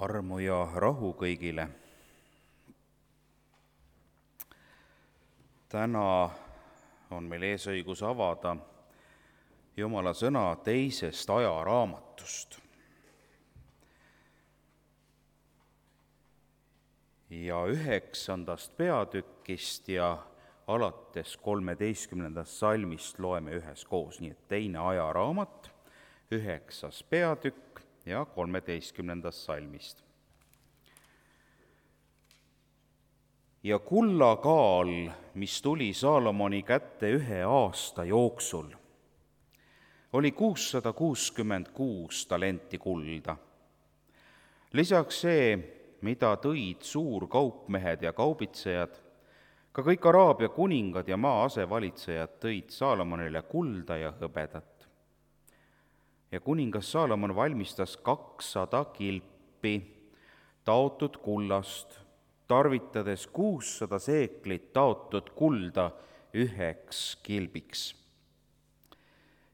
Armu ja rahu kõigile. Täna on meil eesõigus avada Jumala sõna teisest ajaraamatust. Ja 9. peatükist ja alates 13. salmist loeme üheskoos, nii et teine ajaraamat, 9. peatükk ja 13. salmist. Ja kullakaal, mis tuli Saalomoni kätte 1 aasta jooksul, oli 666 talenti kulda. Lisaks see, mida tõid suurkaupmehed ja kaubitsejad, ka kõik Araabia kuningad ja maa asevalitsejad tõid Saalomonile kulda ja hõbedat. Ja kuningas Saalomon valmistas 200 kilpi taotud kullast, tarvitades 600 seeklit taotud kulda 1 kilbiks.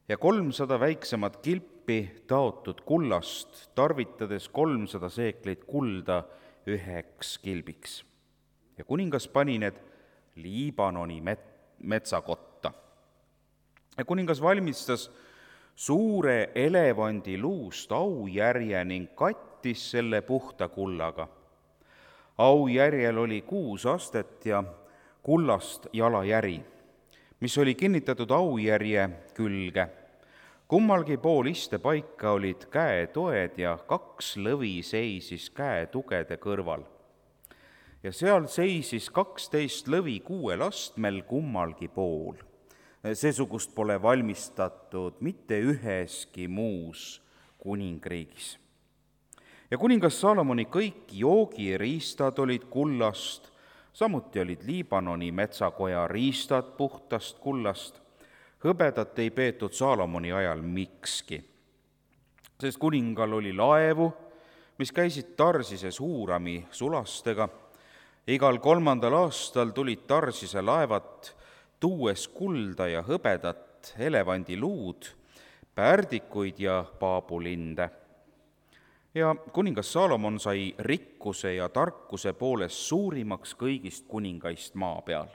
Ja 300 väiksemat kilpi taotud kullast, tarvitades 300 seeklit kulda 1 kilbiks. Ja kuningas pani need Liibanoni metsakotta. Ja kuningas valmistas suure elevandi luust aujärje ning kattis selle puhta kullaga. Aujärjel oli 6 astet ja kullast jalajäri, mis oli kinnitatud aujärje külge. Kummalgi pool istepaika olid käetoed ja 2 lõvi seisis käetugede kõrval. Ja seal seisis 12 lõvi 6 astmel kummalgi pool. Seesugust pole valmistatud mitte üheski muus kuningriigis. Ja kuningas Saalomoni kõik joogiriistad olid kullast, samuti olid Liibanoni metsakoja riistad puhtast kullast. Hõbedat ei peetud Saalomoni ajal mikski, sest kuningal oli laevu, mis käisid Tarsises Huurami sulastega. Igal 3. aastal tulid Tarsise laevad tuues kulda ja hõbedat, elevandiluud, pärdikuid ja paabulinde. Ja kuningas Saalomon sai rikkuse ja tarkuse poolest suurimaks kõigist kuningaist maa peal.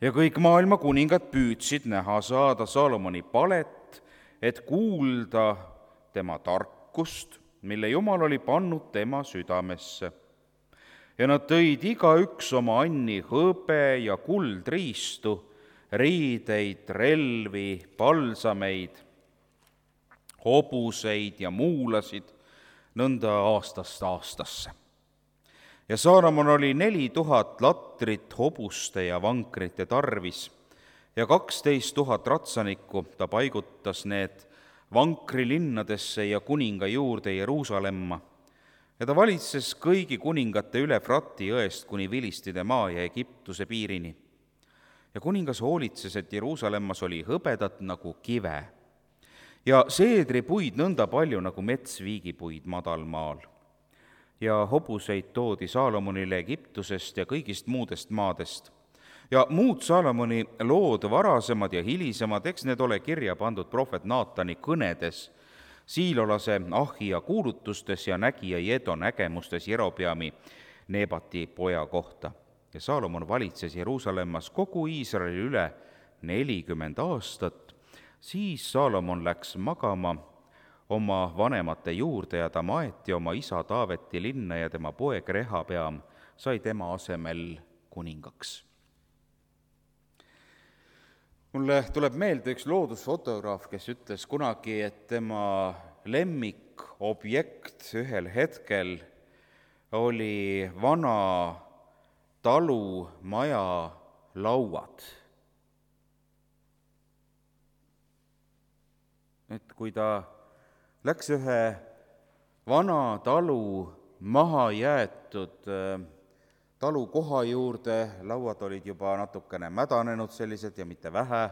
Ja kõik maailma kuningad püüdsid näha saada Saalomoni palet, et kuulda tema tarkust, mille Jumal oli pannud tema südamesse. Ja nad tõid igaüks oma anni hõbe ja kuldriistu, riideid, relvi, palsameid, hobuseid ja muulasid, nõnda aastast aastasse. Ja Saalomon oli 4000 latrit hobuste ja vankrite tarvis ja 12 000 ratsanikku. Ta paigutas need vankrilinnadesse ja kuninga juurde Jeruusalemma. Ja ta valitses kõigi kuningate üle Frati jõest kuni Vilistide maa ja Egiptuse piirini. Ja kuningas hoolitses, et Jeruusalemmas oli hõbedat nagu kive ja seedripuid nõnda palju nagu metsviigipuid madalmaal. Ja hobuseid toodi Saalomonile Egiptusest ja kõigist muudest maadest. Ja muud Saalomoni lood, varasemad ja hilisemad, eks need ole kirja pandud prohvet Naatani kõnedes, Siilolase Ahia kuulutustes ja nägija Jedo nägemustes Jerobeami Nebati poja kohta. Ja Saalomon valitses Jeruusalemmas kogu Iisraeli üle 40 aastat. Siis Saalomon läks magama oma vanemate juurde ja ta maeti oma isa Taaveti linna ja tema poeg Rehabeam sai tema asemel kuningaks. Mulle tuleb meelde üks loodusfotograaf, kes ütles kunagi, et tema lemmikobjekt ühel hetkel oli vana talumaja lauad. Et kui ta läks ühe vana talu maha jäetud talukoha juurde, lauad olid juba natukene mädanenud sellised ja mitte vähe,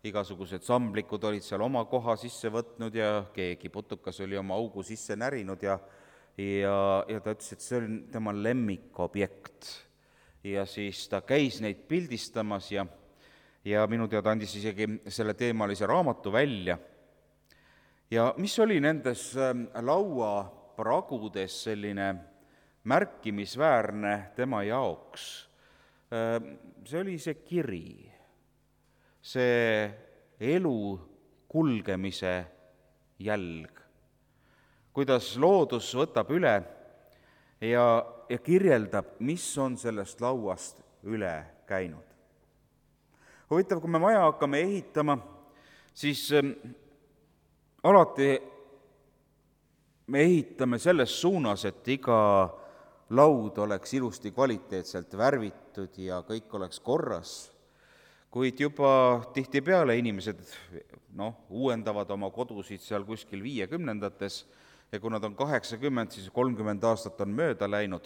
igasugused samblikud olid seal oma koha sisse võtnud ja keegi putukas oli oma augu sisse närinud ja ta ütles, et see oli tema lemmikobjekt. Ja siis ta käis neid pildistamas ja minu teada andis isegi selle teemalise raamatu välja. Ja mis oli nendes laua pragudes selline märkimisväärne tema jaoks, see oli see kiri, see elu kulgemise jälg, kuidas loodus võtab üle ja kirjeldab, mis on sellest lauast üle käinud. Huvitav, kui me maja hakkame ehitama, siis alati me ehitame selles suunas, et iga laud oleks ilusti kvaliteetselt värvitud ja kõik oleks korras, kuid juba tihtipeale inimesed uuendavad oma kodusid seal kuskil 50-ndates ja kui nad on 80, siis 30 aastat on mööda läinud.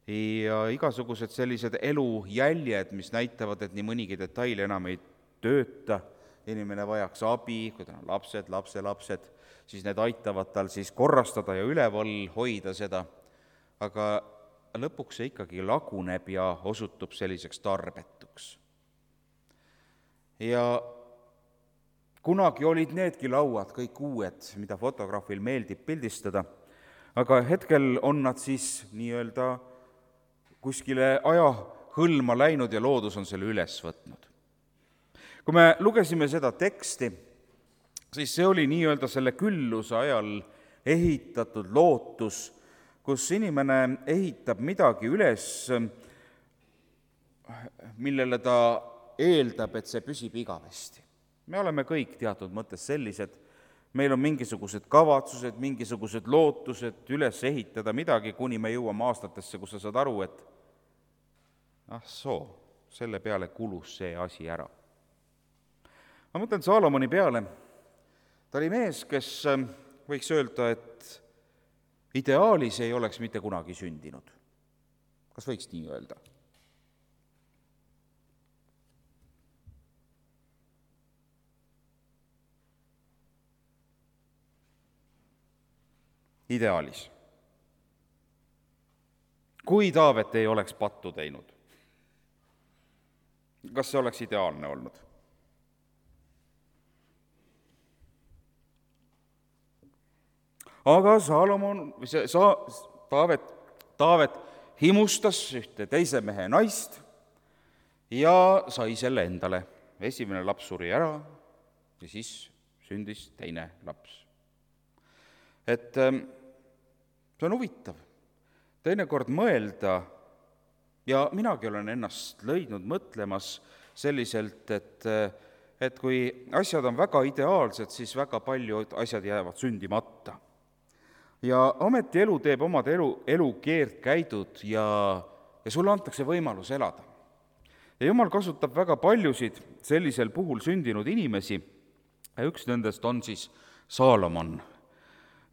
Ja igasugused sellised elujäljed, mis näitavad, et nii mõnigi detail enam ei tööta, inimene vajaks abi, kui tal on lapsed, lapselapsed, siis need aitavad tal siis korrastada ja üleval hoida seda, aga lõpuks see ikkagi laguneb ja osutub selliseks tarbetuks. Ja kunagi olid needki lauad kõik uued, mida fotograafil meeldib pildistada, aga hetkel on nad siis nii-öelda kuskile ajahõlma läinud ja loodus on selle üles võtnud. Kui me lugesime seda teksti, siis see oli nii-öelda selle külluse ajal ehitatud lootus, kus inimene ehitab midagi üles, millele ta eeldab, et see püsib igavesti. Me oleme kõik teatud mõttes sellised, meil on mingisugused kavatsused, mingisugused lootused üles ehitada midagi, kuni me jõuame aastatesse, kus sa saad aru, et selle peale kulus see asi ära. Ma mõtlen Saalomoni peale, ta oli mees, kes võiks öelda, et ideaalis ei oleks mitte kunagi sündinud. Kas võiks nii öelda? Ideaalis. Kui Taavet ei oleks pattu teinud, kas see oleks ideaalne olnud? Aga Taavet himustas ühte teise mehe naist ja sai selle endale. Esimene laps suri ära ja siis sündis teine laps. Et see on huvitav teinekord mõelda ja minagi olen ennast leidnud mõtlemas selliselt, et kui asjad on väga ideaalsed, siis väga paljud asjad jäävad sündimata. Ja ometi elu teeb omad elu keerdkäidud ja sulle antakse võimalus elada. Ja Jumal kasutab väga paljusid sellisel puhul sündinud inimesi ja üks nendest on siis Saalomon.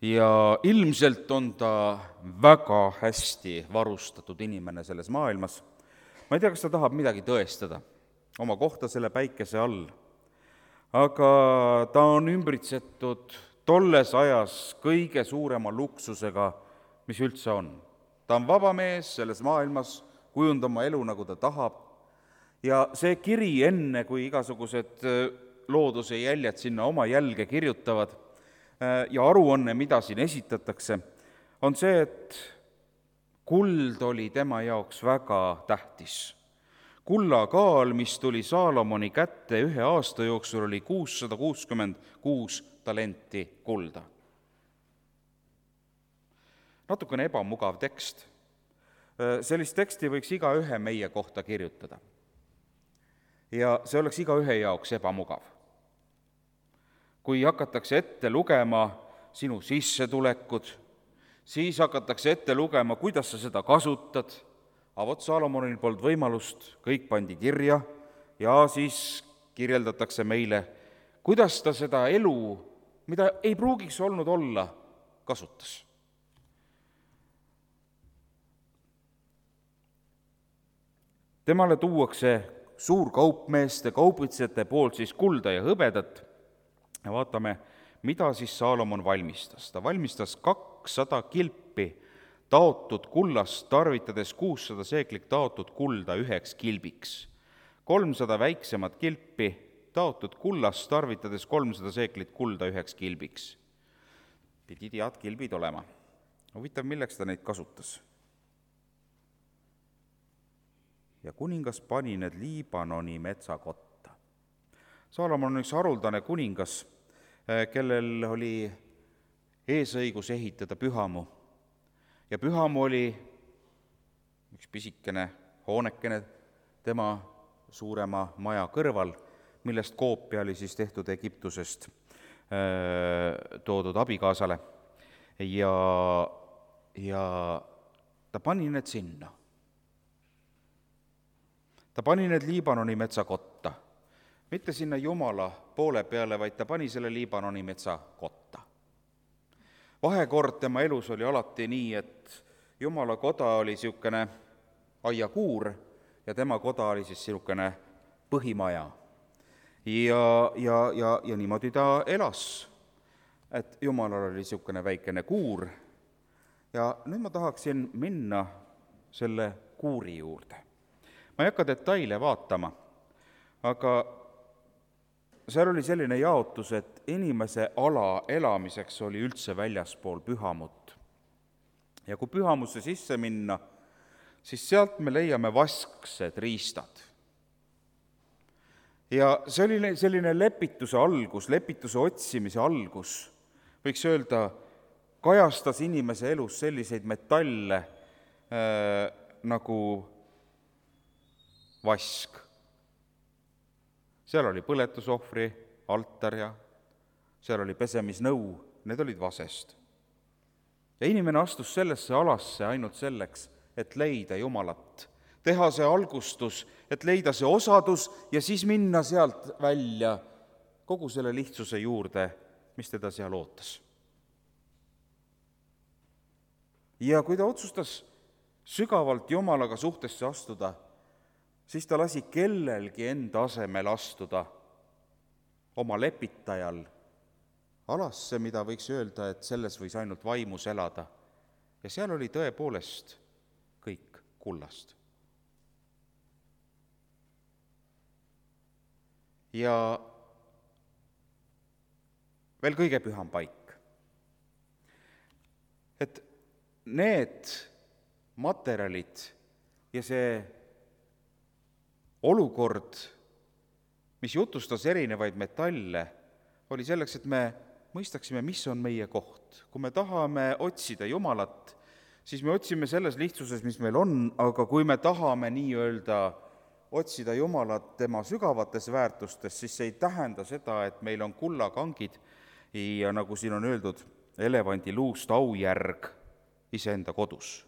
Ja ilmselt on ta väga hästi varustatud inimene selles maailmas. Ma ei tea, kas ta tahab midagi tõestada oma kohta selle päikese all, aga ta on ümbritsetud tolles ajas kõige suurema luksusega, mis üldse on. Ta on vaba mees selles maailmas, kujundama elu, nagu ta tahab, ja see kiri enne, kui igasugused looduse jäljed sinna oma jälge kirjutavad, ja aruanne, mida siin esitatakse, on see, et kuld oli tema jaoks väga tähtis. Kullakaal, mis tuli Saalomoni kätte 1 aasta jooksul, oli 666 talenti kulda. Natukene ebamugav tekst. Sellist teksti võiks igaühe meie kohta kirjutada. Ja see oleks igaühe jaoks ebamugav. Kui hakatakse ette lugema sinu sissetulekud, siis hakatakse ette lugema, kuidas sa seda kasutad, aga vot Saalomonil polnud võimalust, kõik pandi kirja ja siis kirjeldatakse meile, kuidas ta seda elu, mida ei pruugiks olnud olla, kasutas. Temale tuuakse suurkaupmeeste, kaubitsejate poolt siis kulda ja hõbedat. Ja vaatame, mida siis Saalomon valmistas. Ta valmistas 200 kilpi taotud kullast, tarvitades 600 seeklit taotud kulda 1 kilbiks. 300 väiksemat kilpi taotud kullast, tarvitades 300 seeklit kulda 1 kilbiks. Pidid head kilbid olema. huvitav, milleks ta neid kasutas? Ja kuningas pani need Liibanoni metsakotta. Saalomon on üks haruldane kuningas, kellel oli eesõigus ehitada pühamu. Ja pühamu oli üks pisikene hoonekene tema suurema maja kõrval, millest koopia oli siis tehtud Egiptusest toodud abikaasale. Ja ta pani need sinna. Ta pani need Liibanoni metsakotta. Mitte sinna Jumala poole peale, vaid ta pani selle Liibanoni metsakotta. Vahekord tema elus oli alati nii, et Jumala koda oli siukene aiakuur ja tema koda oli siis siukene põhimaja. Ja niimoodi ta elas, et Jumalal oli siukene väikene kuur. Ja nüüd ma tahaksin minna selle kuuri juurde. Ma ei hakka detaile vaatama, aga seal oli selline jaotus, et inimese ala elamiseks oli üldse väljaspool pühamut. Ja kui pühamusse sisse minna, siis sealt me leiame vasksed riistad. Ja see oli selline lepituse algus, lepituse otsimise algus, võiks öelda, kajastas inimese elus selliseid metalle nagu vask. Seal oli põletusohvri, altar ja seal oli pesemisnõu, need olid vasest. Ja inimene astus sellesse alasse ainult selleks, et leida Jumalat, teha see algustus, et leida see osadus ja siis minna sealt välja kogu selle lihtsuse juurde, mis teda seal ootas. Ja kui ta otsustas sügavalt Jumalaga suhtesse astuda, siis ta lasi kellelgi enda asemel astuda oma lepitajal alasse, mida võiks öelda, et selles võis ainult vaimus elada. Ja seal oli tõepoolest kõik kullast. Ja veel kõige püham paik. Et need materjalid ja see olukord, mis jutustas erinevaid metalle, oli selleks, et me mõistaksime, mis on meie koht. Kui me tahame otsida Jumalat, siis me otsime selles lihtsuses, mis meil on, aga kui me tahame nii-öelda otsida Jumalat tema sügavates väärtustes, siis see ei tähenda seda, et meil on kullakangid ja nagu siin on öeldud, elevandi luust aujärg iseenda kodus.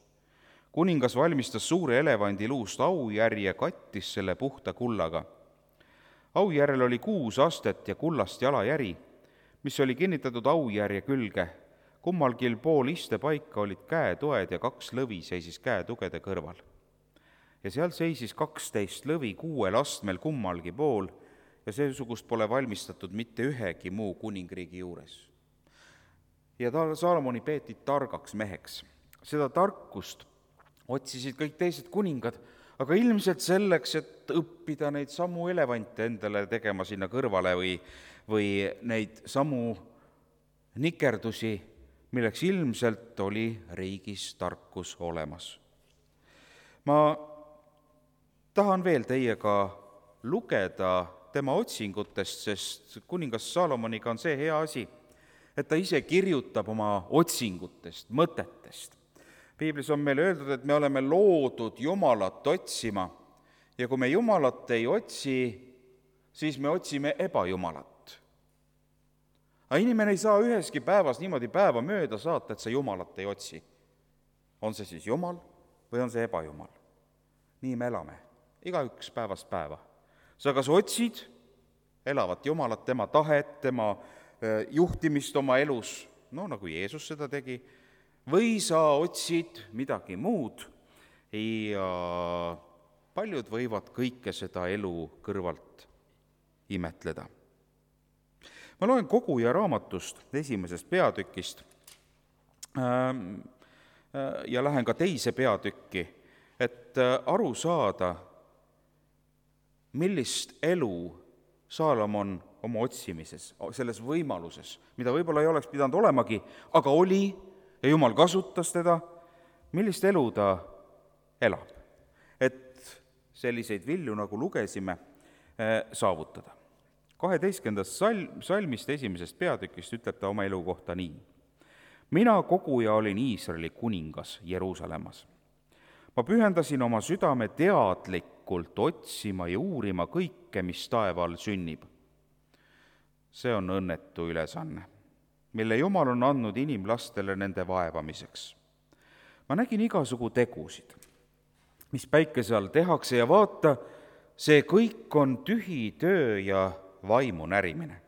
Kuningas valmistas suure elevandi luust aujärje, kattis selle puhta kullaga. Aujärjel oli 6 astet ja kullast jalajäri, mis oli kinnitatud aujärje külge. Kummalgi pool istepaika olid käetoed ja 2 lõvi seisis käetugede kõrval. Ja seal seisis 12 lõvi 6 astmel kummalgi pool ja seesugust pole valmistatud mitte ühegi muu kuningriigi juures. Ja Saalomoni peeti targaks meheks. Seda tarkust otsisid kõik teised kuningad, aga ilmselt selleks, et õppida neid samu elevante endale tegema sinna kõrvale või neid samu nikerdusi, milleks ilmselt oli riigis tarkus olemas. Ma tahan veel teiega lugeda tema otsingutest, sest kuningas Saalomoniga on see hea asi, et ta ise kirjutab oma otsingutest, mõtetest. Piiblis on meile öeldud, et me oleme loodud Jumalat otsima ja kui me Jumalat ei otsi, siis me otsime ebajumalat. Aga inimene ei saa üheski päevas niimoodi päeva mööda saata, et sa Jumalat ei otsi. On see siis Jumal või on see ebajumal? Nii me elame, igaüks päevast päeva. Sa kas otsid elavat Jumalat, tema tahet, tema juhtimist oma elus, nagu Jeesus seda tegi, või sa otsid midagi muud ja paljud võivad kõike seda elu kõrvalt imetleda. Ma loen Koguja raamatust 1. peatükist ja lähen ka teise peatükki, et aru saada, millist elu Saalomon oma otsimises, selles võimaluses, mida võib-olla ei oleks pidanud olemagi, aga oli, ja Jumal kasutas teda, millist elu ta elab, et selliseid vilju, nagu lugesime, saavutada. 12. salmist 1. peatükist ütleb ta oma elu kohta nii. Mina koguja olin Iisraeli kuningas Jeruusalemmas. Ma pühendasin oma südame teadlikult otsima ja uurima kõike, mis taeva all sünnib. See on õnnetu ülesanne, mille Jumal on andnud inimlastele nende vaevamiseks. Ma nägin igasugu tegusid, mis päikese all tehakse ja vaata, see kõik on tühi töö ja vaimu närimine.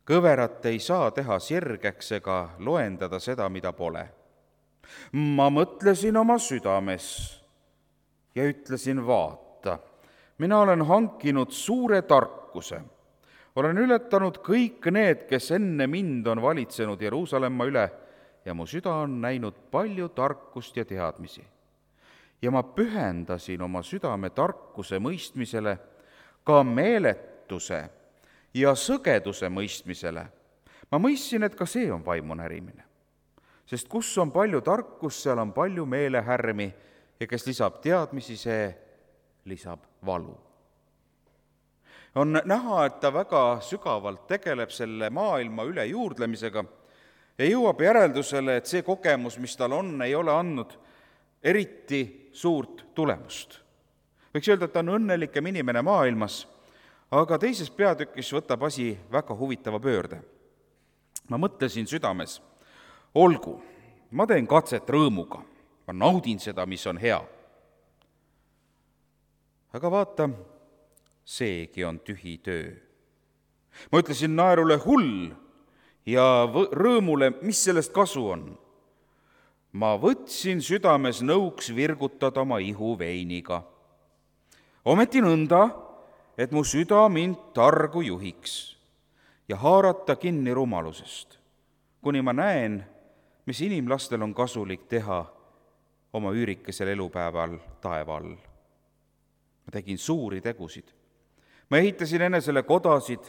Kõverat ei saa teha sirgeks ega loendada seda, mida pole. Ma mõtlesin oma südames ja ütlesin, vaata, mina olen hankinud suure tarkuse. Olen ületanud kõik need, kes enne mind on valitsenud Jeruusalemma üle ja mu süda on näinud palju tarkust ja teadmisi. Ja ma pühendasin oma südame tarkuse mõistmisele, ka meeletuse ja sõgeduse mõistmisele. Ma mõistsin, et ka see on vaimu närimine. Sest kus on palju tarkust, seal on palju meelehärmi ja kes lisab teadmisi, see lisab valu. On näha, et ta väga sügavalt tegeleb selle maailma üle juurdlemisega ja jõuab järeldusele, et see kogemus, mis tal on, ei ole andnud eriti suurt tulemust. Võiks öelda, et ta on õnnelikem inimene maailmas, aga teises peatükis võtab asi väga huvitava pöörde. Ma mõtlesin südames, olgu, ma teen katset rõõmuga, ma naudin seda, mis on hea. Aga vaata, seegi on tühi töö. Ma ütlesin naerule hull ja rõõmule, mis sellest kasu on. Ma võtsin südames nõuks virgutada oma ihu veiniga. Ometi nõnda, et mu süda mind targu juhiks ja haarata kinni rumalusest, kuni ma näen, mis inimlastel on kasulik teha oma üürikesel elupäeval taeva all. Ma tegin suuri tegusid. Ma ehitasin enesele kodasid,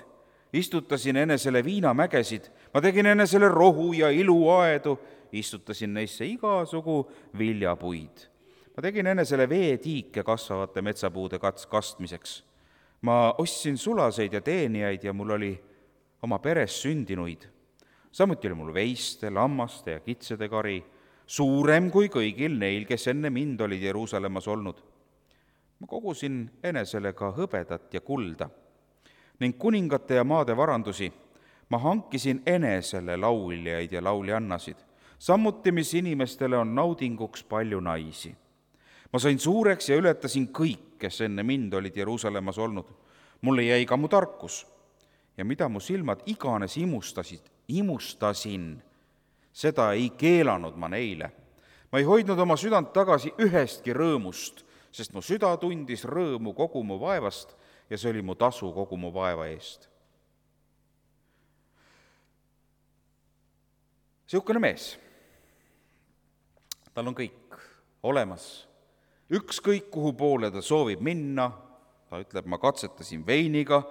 istutasin enesele viinamägesid, ma tegin enesele rohu ja iluaedu, istutasin neisse igasugu viljapuid. Ma tegin enesele veetiike kasvavate metsapuude kastmiseks. Ma ostsin sulaseid ja teenijaid ja mul oli oma peres sündinuid. Samuti oli mul veiste, lammaste ja kitsede kari, suurem kui kõigil neil, kes enne mind olid Jeruusalemmas olnud. Ma kogusin enesele ka hõbedat ja kulda ning kuningate ja maade varandusi. Ma hankisin enesele lauljaid ja lauljannasid, samuti mis inimestele on naudinguks palju naisi. Ma sain suureks ja ületasin kõik, kes enne mind olid Jeruusalemmas olnud. Mulle jäi ka mu tarkus ja mida mu silmad iganes imustasin, seda ei keelanud ma neile. Ma ei hoidnud oma südant tagasi ühestki rõõmust, sest mu süda tundis rõõmu kogu mu vaevast ja see oli mu tasu kogu mu vaeva eest. Siukene mees, tal on kõik olemas, ükskõik kuhu poole ta soovib minna, ta ütleb, ma katsetasin veiniga,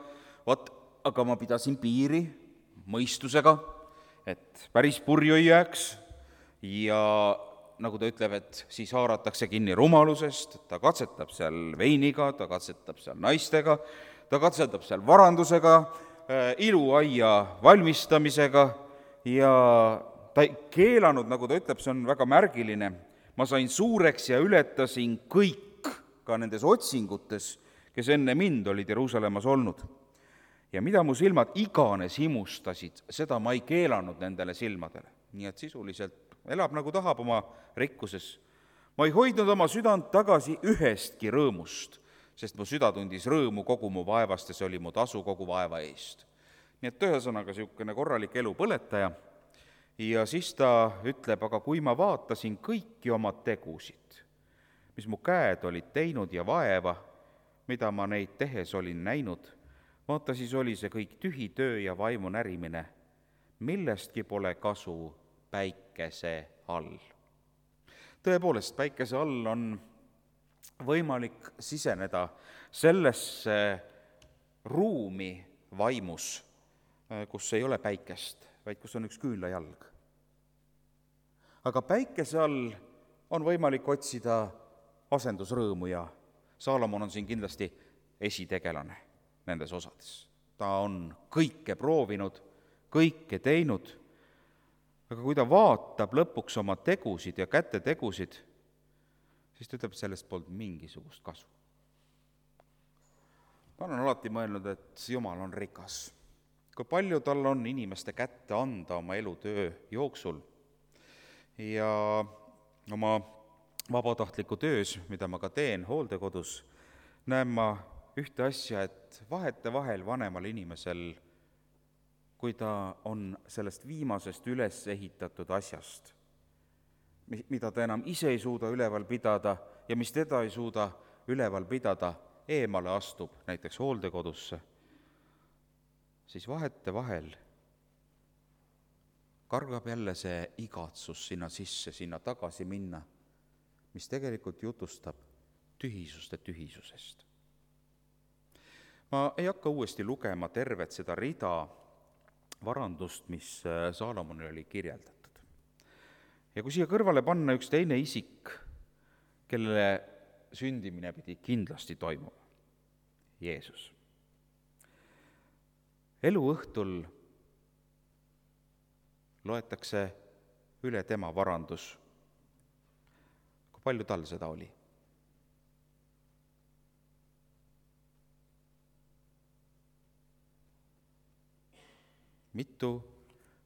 aga ma pidasin piiri mõistusega, et päris purju ei jääks ja nagu ta ütleb, et siis haaratakse kinni rumalusest, ta katsetab seal veiniga, ta katsetab seal naistega, ta katsetab seal varandusega, iluaia valmistamisega ja ta ei keelanud, nagu ta ütleb, see on väga märgiline, ma sain suureks ja ületasin kõik ka nendes otsingutes, kes enne mind olid Jeruusalemmas olnud. Ja mida mu silmad iganes imustasid, seda ma ei keelanud nendele silmadele. Nii et sisuliselt elab nagu tahab oma rikkuses. Ma ei hoidnud oma südant tagasi ühestki rõõmust, sest mu süda tundis rõõmu kogu mu vaevast ja see oli mu tasu kogu vaeva eest. Nii et ühesõnaga niisugune korralik elu põletaja. Ja siis ta ütleb, aga kui ma vaatasin kõiki oma tegusid, mis mu käed olid teinud ja vaeva, mida ma neid tehes olin näinud, vaata siis oli see kõik tühi töö ja vaimu närimine, millestki pole kasu päikese all. Tõepoolest, päikese all on võimalik siseneda sellesse ruumi vaimus, kus ei ole päikest, vaid kus on üks küünlajalg. aga päikese all on võimalik otsida asendusrõõmu ja Saalomon on siin kindlasti esitegelane nendes osades. Ta on kõike proovinud, kõike teinud, aga kui ta vaatab lõpuks oma tegusid ja käte tegusid, siis ta ütleb, et sellest polnud mingisugust kasu. Ma olen alati mõelnud, et Jumal on rikas. Kui palju tal on inimeste kätte anda oma elutöö jooksul ja oma vabatahtliku töös, mida ma ka teen hooldekodus, näen ma ühte asja, et vahetevahel vanemal inimesel, kui ta on sellest viimasest üles ehitatud asjast, mida ta enam ise ei suuda üleval pidada ja mis teda ei suuda üleval pidada, eemale astub näiteks hooldekodusse, siis vahetevahel kargab jälle see igatsus sinna sisse, sinna tagasi minna, mis tegelikult jutustab tühisuste tühisusest. Ma ei hakka uuesti lugema tervet seda rida varandust, mis Saalomonil oli kirjeldatud. Ja kui siia kõrvale panna üks teine isik, kellele sündimine pidi kindlasti toimuma, Jeesus. Eluõhtul loetakse üle tema varandus. Kui palju tal seda oli? Mitu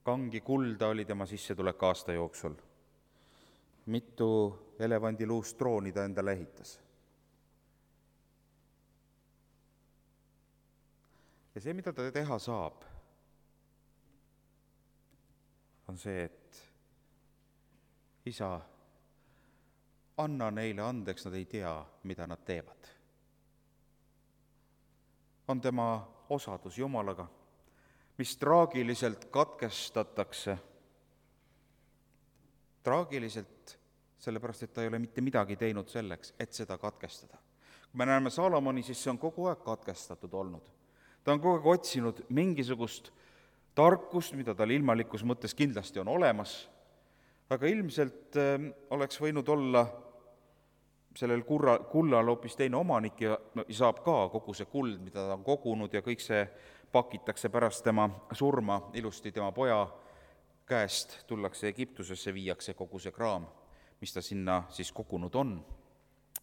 kangi kulda oli tema sissetulek aasta jooksul? Mitu elevandiluust trooni ta endale ehitas? Ja see, mida ta teha saab, on see, et isa, anna neile andeks, nad ei tea, mida nad teevad. On tema osadus Jumalaga, mis traagiliselt katkestatakse. Traagiliselt, sellepärast, et ta ei ole mitte midagi teinud selleks, et seda katkestada. Kui me näeme Saalomoni, siis see on kogu aeg katkestatud olnud. Ta on kogu aeg otsinud mingisugust tarkust, mida tal ilmalikus mõttes kindlasti on olemas, aga ilmselt oleks võinud olla sellel kullal hoopis teine omanik ja saab ka kogu see kuld, mida ta on kogunud ja kõik see pakitakse pärast tema surma ilusti tema poja käest, tullakse Egiptusesse, viiakse kogu see kraam, mis ta sinna siis kogunud on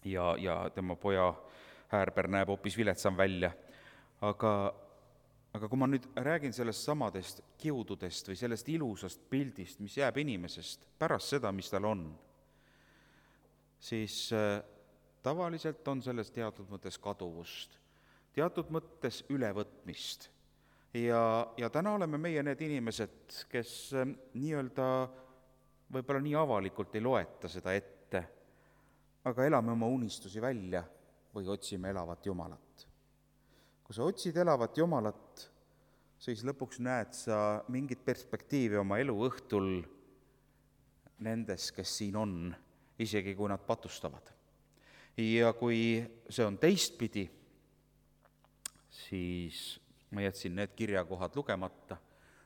ja tema poja häärber näeb hoopis viletsam välja. Aga kui ma nüüd räägin sellest samadest kiududest või sellest ilusast pildist, mis jääb inimesest pärast seda, mis tal on, siis tavaliselt on selles teatud mõttes kaduvust, teatud mõttes ülevõtmist. Ja täna oleme meie need inimesed, kes nii-öelda võib-olla nii avalikult ei loeta seda ette, aga elame oma unistusi välja või otsime elavat Jumalat. Kui sa otsid elavat Jumalat, siis lõpuks näed sa mingit perspektiivi oma elu õhtul nendes, kes siin on, isegi kui nad patustavad. Ja kui see on teistpidi, siis ma jätsin need kirjakohad lugemata,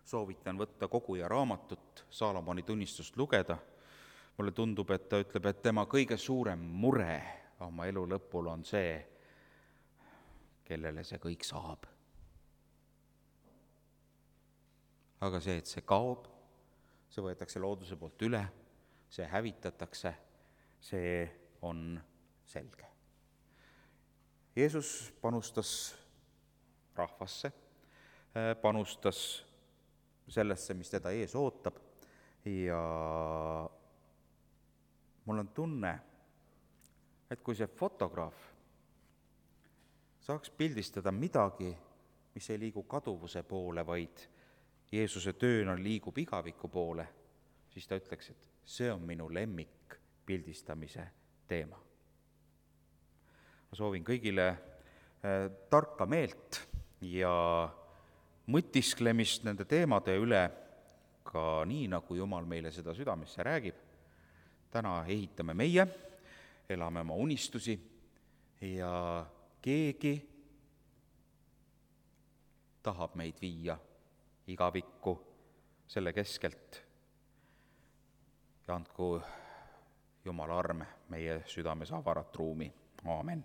soovitan võtta koguja raamatut, Saalomoni tunnistust lugeda. Mulle tundub, et ta ütleb, et tema kõige suurem mure oma elu lõpul on see, kellele see kõik saab. Aga see, et see kaob, see võetakse looduse poolt üle, see hävitatakse, see on selge. Jeesus panustas rahvasse, panustas sellesse, mis teda ees ootab ja mul on tunne, et kui see fotograaf saaks pildistada midagi, mis ei liigu kaduvuse poole, vaid Jeesuse tööna liigub igaviku poole, siis ta ütleks, et see on minu lemmik pildistamise teema. Ma soovin kõigile tarka meelt ja mõtisklemist nende teemade üle, ka nii, nagu Jumal meile seda südamesse räägib. Täna ehitame meie, elame oma unistusi ja keegi tahab meid viia igavikku selle keskelt. ja andku Jumala arm meie südames avarat ruumi. Aamen.